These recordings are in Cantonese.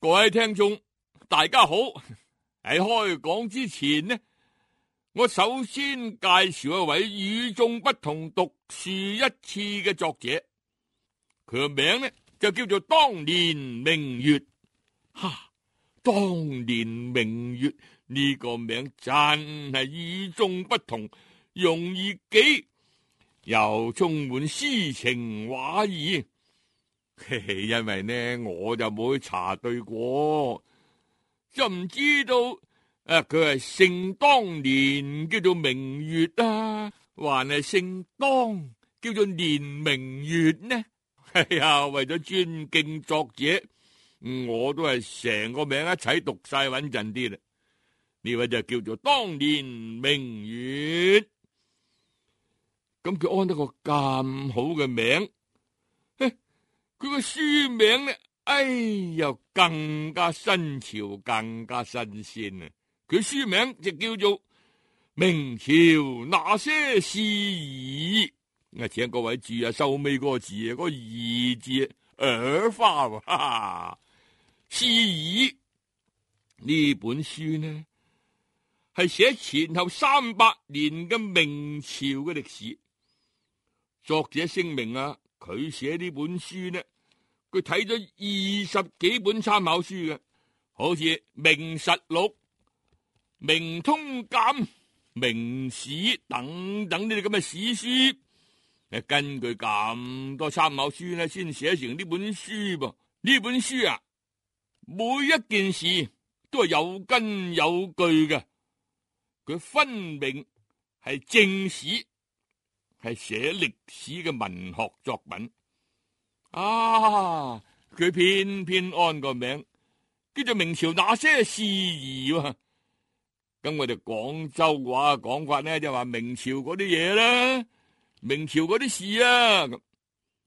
各位聽眾，大家好。喺開講之前呢，我首先介紹一位與眾不同、獨樹一幟嘅作者，佢個名呢就叫做當年明月。當年明月呢個名真係與眾不同，容易記，又充滿詩情畫意。因為呢，我就冇去查對過，就唔知道佢係姓當年叫做明月啊，還係姓當叫做年明月呢？係啊，為咗尊敬作者，我都係成個名一齊讀晒穩陣啲啦。呢位就叫做當年明月，咁佢安得個咁好嘅名，佢個書名呢，又更加新潮，更加新鮮啊！佢書名就叫做《明朝那些事兒》。請各位注意收尾嗰個字啊，嗰個兒字耳花喎，哈哈！事兒呢本書呢，係寫前後300年嘅明朝嘅歷史。作者聲明啊，佢寫呢本書呢，佢睇咗20幾本參考書嘅，好似《明實錄》、《明通鑑》、《明史》等等呢啲咁嘅史書。根據咁多參考書呢，先寫成呢本書噃。呢本書啊，每一件事都係有根有據嘅，佢分明係正史，係寫歷史嘅文學作品。佢偏偏安個名叫做《明朝那些事兒》喎。咁我哋廣州話講法呢，就話明朝嗰啲嘢啦，明朝嗰啲事啊。咁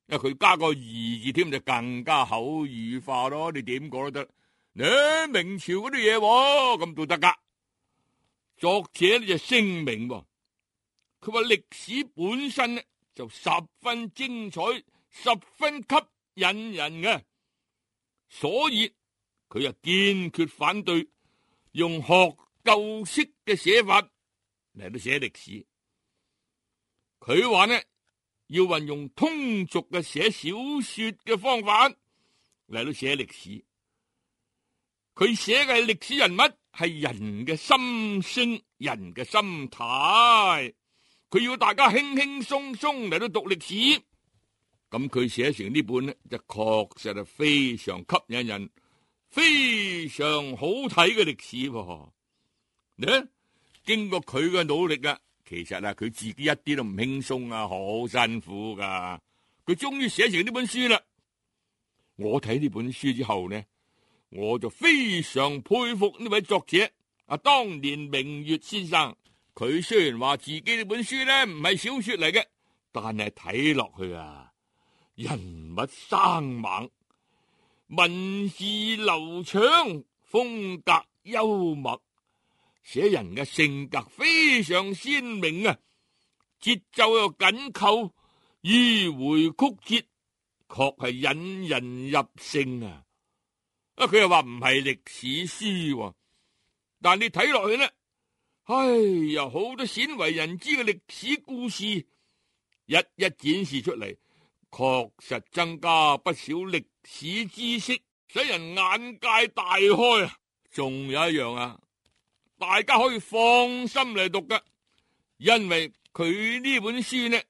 佢加個兒字添，就更加口語化咯。你點講都得，明朝嗰啲嘢咁都得噶。作者呢就聲明喎，佢話歷史本身呢就十分精彩，十分吸引人嘅，所以佢又堅決反對用學究式嘅寫法嚟到寫歷史。佢話呢，要運用通俗嘅寫小說嘅方法嚟到寫歷史。佢寫嘅歷史人物係人嘅心聲、人嘅心態，佢要大家輕輕鬆鬆嚟到讀歷史。咁佢寫成呢本呢，就確實係非常吸引人、非常好睇嘅歷史喎。呢，經過佢嘅努力啊，其實啊，佢自己一啲都唔輕鬆啊，好辛苦噶。佢終於寫成呢本書啦。我睇呢本書之後呢，我就非常佩服呢位作者當年明月先生。佢雖然話自己呢本書呢唔係小說嚟嘅，但係睇落去啊，人物生猛，文字流暢，風格幽默，寫人嘅性格非常鮮明啊，節奏又緊扣，迂迴曲折，確係引人入勝啊！佢又話唔係歷史書，但你睇落去呢，好多鮮為人知嘅歷史故事一一展示出嚟，確實增加不少歷史知識，使人眼界大開啊！仲有一樣啊，大家可以放心嚟讀噶，因為佢呢本書呢，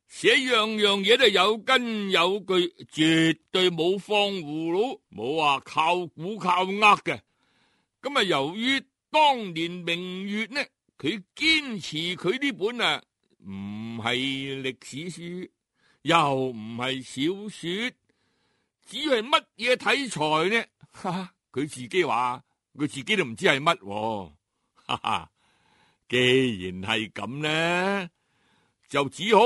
寫樣樣嘢都有根有據，絕對冇放葫蘆，冇話靠估靠呃嘅。咁啊，由於當年明月呢，佢堅持佢呢本啊唔係歷史書，又唔係小說，只係乜嘢題材呢？佢自己話佢自己都唔知係乜。既然係咁呢，就只好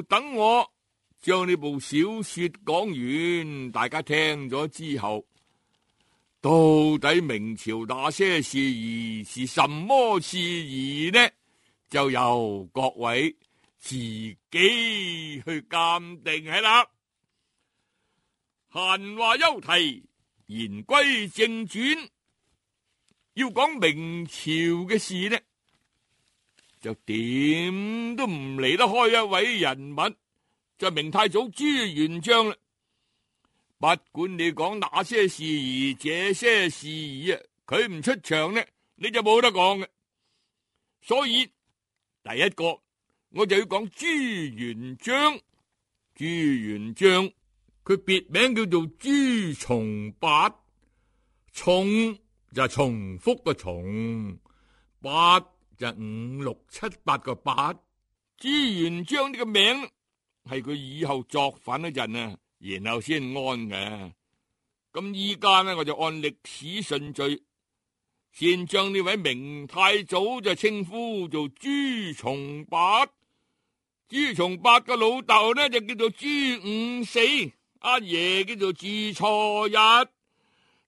等我將呢部小說講完，大家聽咗之後，到底明朝那些事兒是什麼事兒呢？就由各位自己去鑑定係啦。閒話休提，言歸正傳，要講明朝嘅事呢，就點都唔離得開一位人物，就係明太祖朱元璋啦。不管你講那些事兒，這些事兒啊，佢唔出場呢，你就冇得講嘅。所以第一個我就要講朱元璋。朱元璋佢別名叫做朱重八，重就係重複個重，八就係5、6、7、8個八。朱元璋呢個名係佢以後作反嗰陣啊，然後先安嘅。咁依家呢，我就按歷史順序，先將呢位明太祖就稱呼做朱重八。朱重八個老豆呢就叫做朱五四，阿爺叫做朱初一，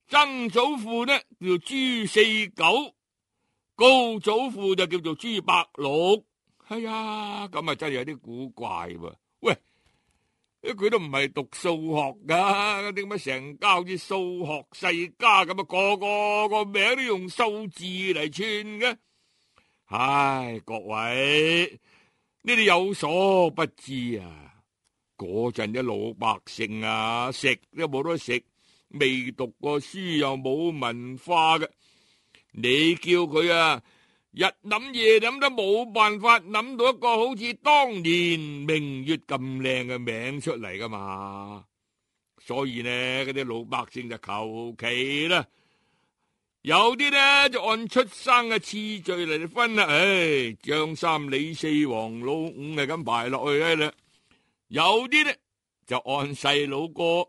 曾祖父呢叫做朱四九，高祖父就叫做朱百六。哎呀，咁啊真係有啲古怪喎！喂，佢都唔係讀數學噶，點解成家好似數學世家咁啊？個名都用數字嚟串嘅。唉，各位，你哋有所不知啊！嗰陣啲老百姓啊，食都冇得食，未讀過書又冇文化嘅，你叫佢啊日諗夜諗都冇辦法諗到一個好似當年明月咁靚嘅名出嚟噶嘛。所以呢，嗰啲老百姓就求其啦，有啲呢就按出生嘅次序嚟分啦。唉，張三李四黃老五係咁排落去啦。有啲呢就按細佬哥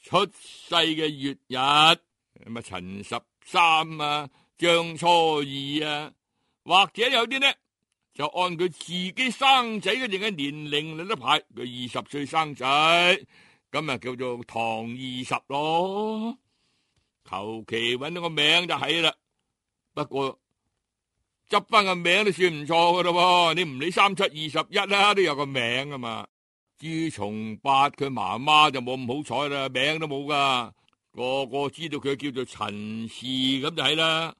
出世嘅月日，咁啊陳13啊，張初2啊，或者有啲呢就按佢自己生仔嗰陣嘅年齡嚟得排，佢20歲生仔，咁啊叫做唐20咯。求其搵到個名就係啦，不過執翻個名都算唔錯噶咯。你唔理3、7、21啦，都有個名啊嘛。朱重八佢媽媽就冇咁好彩啦，名都冇噶，個個知道佢叫做陳氏咁就係啦。